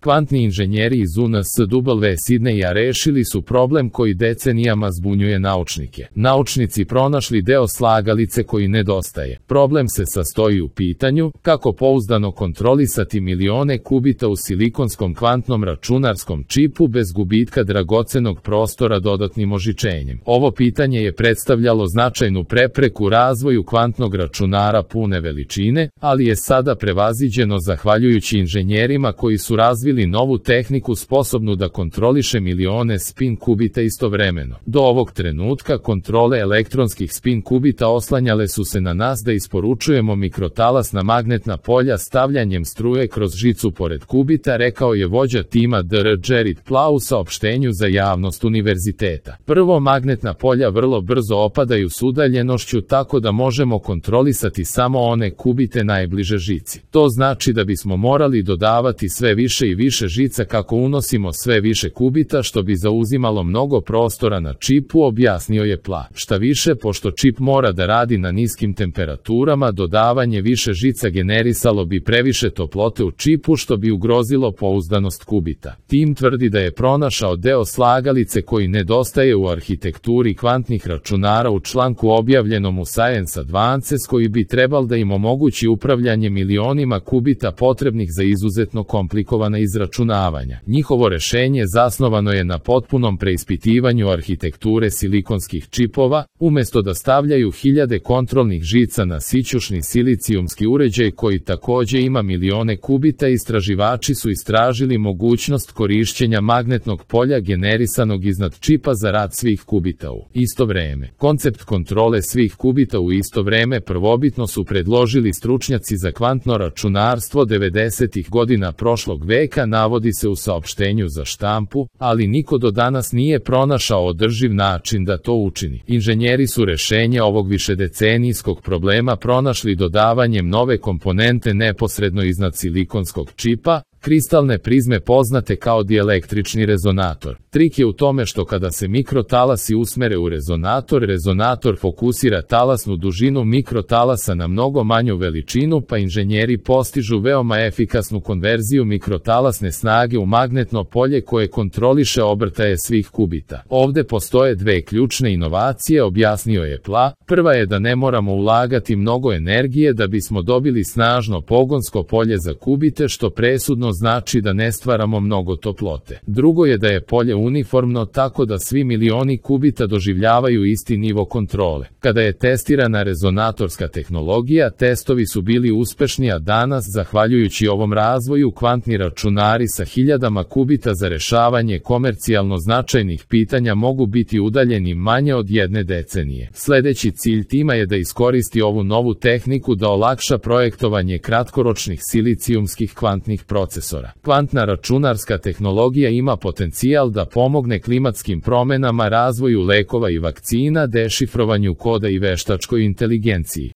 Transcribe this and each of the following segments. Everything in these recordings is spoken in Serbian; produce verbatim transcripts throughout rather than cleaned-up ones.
Kvantni inženjeri iz U N S W Sidneja rešili su problem koji decenijama zbunjuje naučnike. Naučnici pronašli deo slagalice koji nedostaje. Problem se sastoji u pitanju kako pouzdano kontrolisati milione kubita u silikonskom kvantnom računarskom čipu bez gubitka dragocenog prostora dodatnim ožičenjem. Ovo pitanje je predstavljalo značajnu prepreku razvoju kvantnog računara pune veličine, ali je sada prevaziđeno zahvaljujući inženjerima koji su razvili novu tehniku sposobnu da kontroliše milione spin kubita istovremeno. Do ovog trenutka kontrole elektronskih spin kubita oslanjale su se na nas da isporučujemo mikrotalasna magnetna polja stavljanjem struje kroz žicu pored kubita, rekao je vođa tima D R Jared Plau u saopštenju za javnost univerziteta. Prvo, magnetna polja vrlo brzo opadaju s udaljenošću tako da možemo kontrolisati samo one kubite najbliže žici. To znači da bismo morali dodavati sve više i više žica kako unosimo sve više kubita, što bi zauzimalo mnogo prostora na čipu, objasnio je Pla. Šta više, pošto čip mora da radi na niskim temperaturama, dodavanje više žica generisalo bi previše toplote u čipu, što bi ugrozilo pouzdanost kubita. Tim tvrdi da je pronašao deo slagalice koji nedostaje u arhitekturi kvantnih računara u članku objavljenom u Science Advances, koji bi trebal da im omogući upravljanje milionima kubita potrebnih za izuzetno komplikovana izračunavanja. Njihovo rešenje zasnovano je na potpunom preispitivanju arhitekture silikonskih čipova, umesto da stavljaju hiljade kontrolnih žica na sićušni silicijumski uređaj koji takođe ima milione kubita. Istraživači su istražili mogućnost korišćenja magnetnog polja generisanog iznad čipa za rad svih kubita u isto vreme. Koncept kontrole svih kubita u isto vreme prvobitno su predložili stručnjaci za kvantno računarstvo devedesetih godina prošlog veka, navodi se u saopštenju za štampu, ali niko do danas nije pronašao održiv način da to učini. Inženjeri su rešenje ovog višedecenijskog problema pronašli dodavanjem nove komponente neposredno iznad silikonskog čipa, kristalne prizme poznate kao dielektrični rezonator. Trik je u tome što kada se mikrotalasi usmere u rezonator, rezonator fokusira talasnu dužinu mikrotalasa na mnogo manju veličinu, pa inženjeri postižu veoma efikasnu konverziju mikrotalasne snage u magnetno polje koje kontroliše obrtaje svih kubita. Ovde postoje dve ključne inovacije, objasnio je Pla. Prva je da ne moramo ulagati mnogo energije da bismo dobili snažno pogonsko polje za kubite, što presudno znači da ne stvaramo mnogo toplote. Drugo je da je polje uniformno tako da svi milioni kubita doživljavaju isti nivo kontrole. Kada je testirana rezonatorska tehnologija, testovi su bili uspešni, a danas, zahvaljujući ovom razvoju, kvantni računari sa hiljadama kubita za rešavanje komercijalno značajnih pitanja mogu biti udaljeni manje od jedne decenije. Sledeći cilj tima je da iskoristi ovu novu tehniku da olakša projektovanje kratkoročnih silicijumskih kvantnih procesora. Kvantna računarska tehnologija ima potencijal da pomogne klimatskim promenama, razvoju lekova i vakcina, dešifrovanju koda i veštačkoj inteligenciji.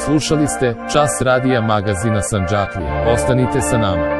Slušali ste Čas radija magazina Sandžaklija. Ostanite sa nama.